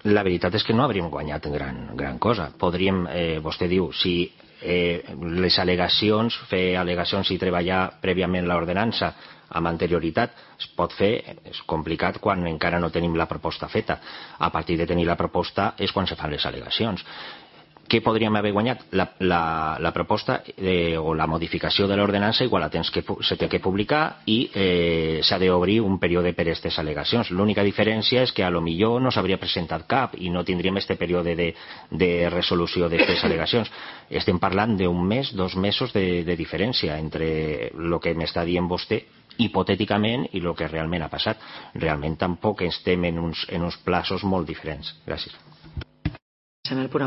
La veritat és que no hauríem guanyat gran cosa. Podríem, vostè diu, si les al·legacions, fer al·legacions i treballar prèviament l'ordenança amb anterioritat es pot fer, és complicat quan encara no tenim la proposta feta. A partir de tenir la proposta és quan se fan les al·legacions. Què podríem haver guanyat? La proposta o la modificació de l'ordenança igual se té que publicar i s'ha d'obrir un període per a aquestes al·legacions. L'única diferència és que a lo millor no s'hauria presentat cap i no tindríem este període de resolució d'aquestes al·legacions. Estem parlant d'un mes, 2 mesos de diferència entre el que m'està dient vostè hipotèticament i el que realment ha passat. Realment tampoc estem en uns plaços molt diferents. Gràcies.